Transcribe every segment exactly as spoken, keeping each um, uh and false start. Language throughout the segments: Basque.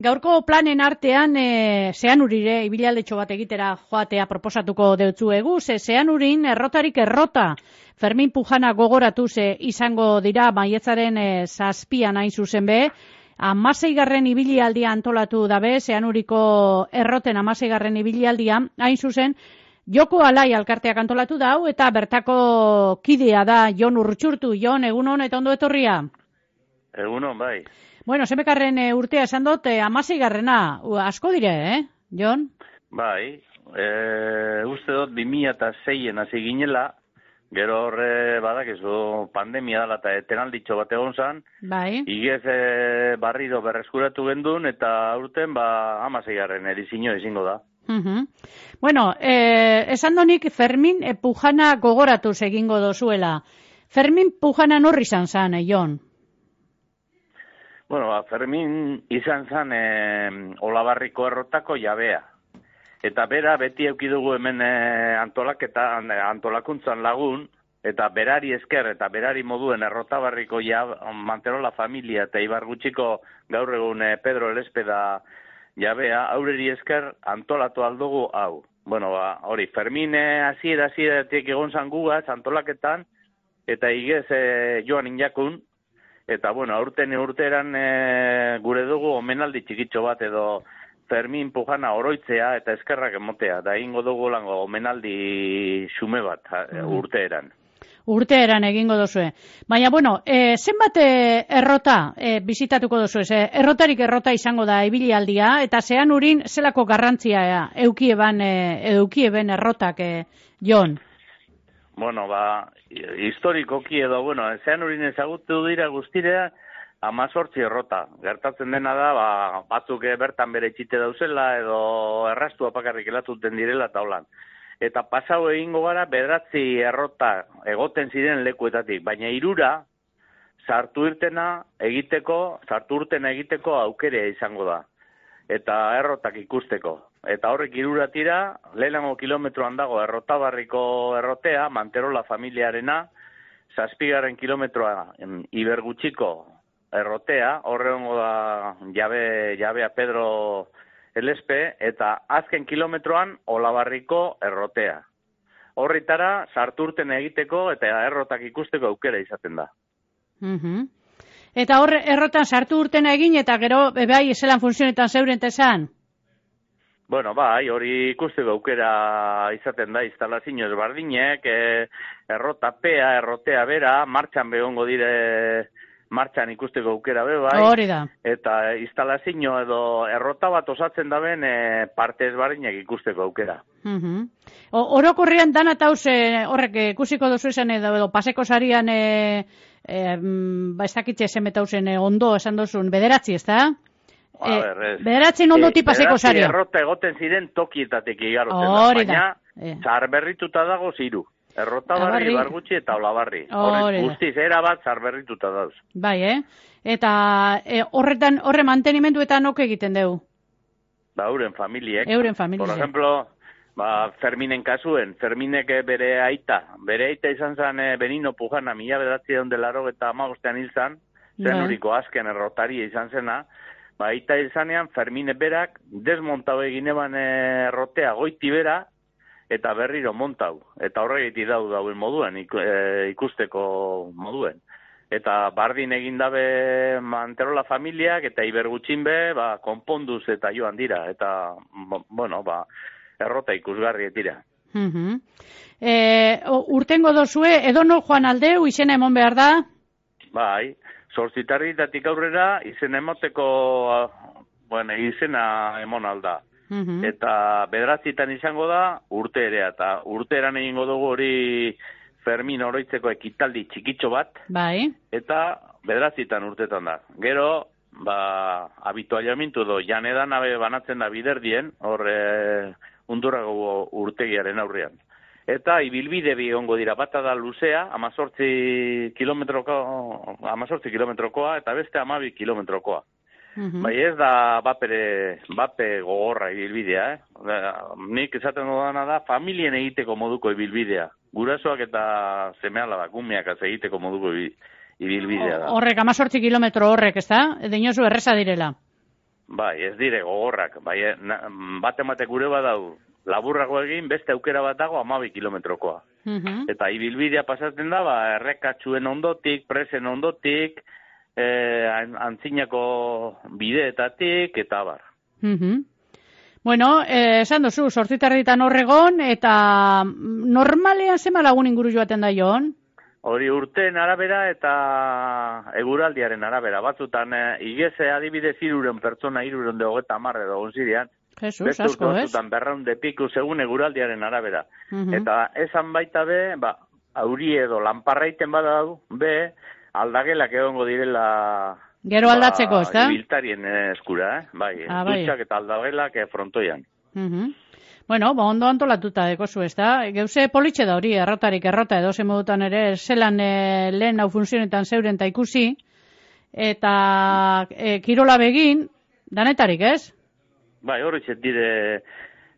Gaurko planen artean e, Zeanurire ibilaldeetxo bat egitera joatea proposatuko deutzuegu, ze Zeanurin errotarik errota Fermin Pujana gogoratu ze izango dira maiatzaren e, zazpian hain zuzen be, hamaseigarren ibilialdia antolatu dabe, Zeanuriko erroten hamaseigarren ibilialdia hain zuzen, Joko Alai alkarteak antolatu dau eta bertako kidea da Jon Urtxurtu. Jon, egunon eta ondo etorria? Egunon, bai. Bueno, zemekarren e, urtea esan dut, e, hamaseigarrena, asko dire, eh, Jon? Bai, e, uste dut bi mila seien hasi ginela, gero horre badakizu pandemia dela eta etenalditxo bat egon zan, bai. Igez e, barrido berreskuratu gendun eta aurten ba hamaseigarren edizio ezingo da. Uh-huh. Bueno, eh, esan donik Fermin e, Pujana gogoratuz egingo dozuela. Fermin Pujana norri izan zan, eh, Jon? Bueno, ba, Fermin izan zan e, Olabarriko errotako jabea. Eta bera beti eukidugu hemen e, antolaketa, antolakuntzan lagun, eta berari esker eta berari moduen errotabarriko ja, Manterola familia eta Ibargutxiko gaur egun e, Pedro Elespeda jabea, aurreri esker antolatu aldugu hau. Bueno, ba, hori, Fermin hasiera hasieratik egon zan gugaz antolaketan, eta igez e, joan injakun, eta, bueno, aurten urteran e, gure dugu omenaldi txikitxo bat edo Fermin Pujana oroitzea eta eskerrak emotea. Da egingo dugu lango omenaldi xume bat mm. urteeran. Urteeran egingo dozue. Baina, bueno, e, zenbat e, errota e, bizitatuko dozue? E, errotarik errota izango da ibilialdia, eta Zeanurin zelako garrantzia e, eukieben, e, eukieben errotak, e, Jon? Bueno, ba, historikoki edo, bueno, Zeanurin ezagutu dira guztirea, amazortzi errota. Gertatzen dena da, ba, batzuk bertan bere txite dauzela, edo errastua pakarrik elatuten direla eta holan. Eta pasau egingo gara, bederatzi errota egoten ziren lekuetatik, baina hirura sartu irtena egiteko, sartu urtena egiteko aukerea izango da. Eta errotak ikusteko. Eta horrek hirura tira, lehenengo kilometroan dago errotabarriko errotea, Manterola familiarena, zazpigarren kilometroa Ibergutxiko errotea, horrengo da jabe, jabea Pedro Elespe, eta azken kilometroan Olabarriko errotea. Horritara sartu urten egiteko eta errotak ikusteko aukera izaten da. Uh-huh. Eta hor errotan sartu urtena egin eta gero bai zelan funtzionetan zeuren tezan? Bueno, bai, hori ikusteko aukera izaten da instalazio ezberdinek, e, errotapea, errotea bera, martxan begongo dire martxan ikusteko aukera be bai. Hori da. Eta instalazio edo errota bat osatzen daben e, parte ezberdinak ikusteko aukera. Uh-huh. Orokorrean dana tauz e, horrek ikusiko dozu esan edo, edo paseko sarian e, e, ba ez dakitxe esemetauzen e, ondo esan dozun, bederatzi, ez da? A ber, ez. Bederatzen ondoti paseko saria. Bederatzi errota egoten ziren tokietatik igarotzen da, baina e. zarberrituta dago ziru. Errotabarri, Ibargutxi eta Olabarri. Horrek guztiz, erabat zarberrituta dauz. Bai, eh? Eta e, horretan, horre mantenimenduetan ok egiten dugu? Ba, euren familiek. Euren familiek. Por ejemplo, ba, Ferminen kasuen, Ferminek bere aita, bere aita izan zen e, Benino Pujana, mila bedatzi egon delaro eta amagostean hil zan, Zenuriko azken errotaria izan zena, ba, aita hil zanean, Fermine berak desmontau egin eban errotea goiti bera, eta berriro montau, eta horregiti dau dauen moduen, ikusteko moduen. Eta bardin egin dabe Manterola familiak, eta Ibergutxin be, ba, konponduz eta joan dira, eta, bueno, ba, errota ikusgarri dira. Uh-huh. e, urtengo dozue, edo no joan aldeu, izena emon behar da? Bai, zortzitarritatik aurrera, izena emoteko, bueno, izena emon alda. Uh-huh. Eta bederatzitan izango da urte ere, eta urteeran egingo dugu hori Fermin oroitzeko ekitaldi txikitxo bat, bai. Eta bederatzitan urtetan da. Gero, ba, habitualiamintu do, janedan abe banatzen da biderdien, hor e, undurrago urtegiaren aurrean. Eta ibilbide bi ongo dira, bata da luzea, amazortzi kilometroko, amazortzi kilometrokoa, eta beste amabi kilometrokoa. Uh-huh. Bai ez da bapere, bape gogorra ibilbidea, eh? Nik esaten dudana da familien egiteko moduko ibilbidea. Gurasoak eta semealabak, umeak egiteko moduko ibilbidea da. Horrek, amazortzi kilometro horrek, ez da? Dinozu erreza direla. Bai, ez dire gogorrak, bai, bat emate gure badau, laburrago egin, beste aukera bat dago hamabi kilometrokoa. Uh-huh. Eta ibilbidea pasatzen da, ba, errekatxuen ondotik, presen ondotik, eh, antzinako bideetatik, eta bar. Uh-huh. Bueno, eh, esan duzu, sortzitarritan horregon, eta normalean zema lagun inguru joaten da joan? Hori urteen arabera eta eguraldiaren arabera. Batzutan, e, igeze adibidez iruren pertsona iruren de hogeta marre edo gonzirean. Jesus, beste asko, ez? Batzutan berraunde piku segun eguraldiaren arabera. Uh-huh. Eta esan baita be, ba, auri edo lanparraiten badau, be, aldagelak egongo direla... Gero aldatzeko, ez da? Ba, ibiltarien eskura, eh? Bai, ah, bai. dutxak eta aldagelak eh, frontoian. Uh-huh. Bueno, ba, ondo antolatuta dekozu, ez da? Geuse politxe da hori, errotarik errota, edo zemodutan ere, zelan e, lehen hau funtzionetan zeuren ta ikusi, eta e, kirola begin, danetarik, ez? Bai, hori txet dire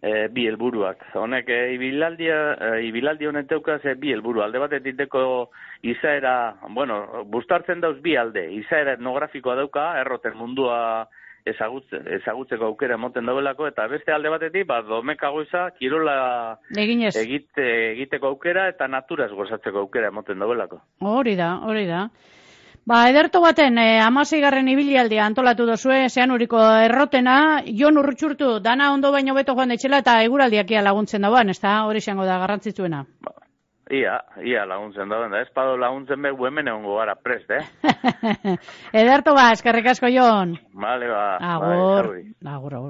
e, bi helburuak. Honek, e, ibilaldia, e, ibilaldi honen teukaz e, bi helburu. Alde bat etiteko izaera, bueno, bustartzen dauz bi alde. Izaera etnografikoa dauka, erroten mundua ezagutze, ezagutzeko aukera emoten daudelako, eta beste alde batetik, ba, domekagoiza, kirola egite, egiteko aukera, eta naturaz gozatzeko aukera emoten daudelako. Hori da, hori da. Ba, ederto baten, eh, amaseigarren ibilialdia antolatu dozue, zean uriko errotena, Jon Urrutxurtu, dana ondo baino beto joan detxela, eta eguraldiakia laguntzen dauan, ez da, hori izango da garrantzitsuena. Ba. Ia, ia laguntzen da, ez pado laguntzen behu hemen egongo gara prest, eh? Ederto ba, eskerrik asko, Jon. Vale, ba. Agur, bai, agur, agur.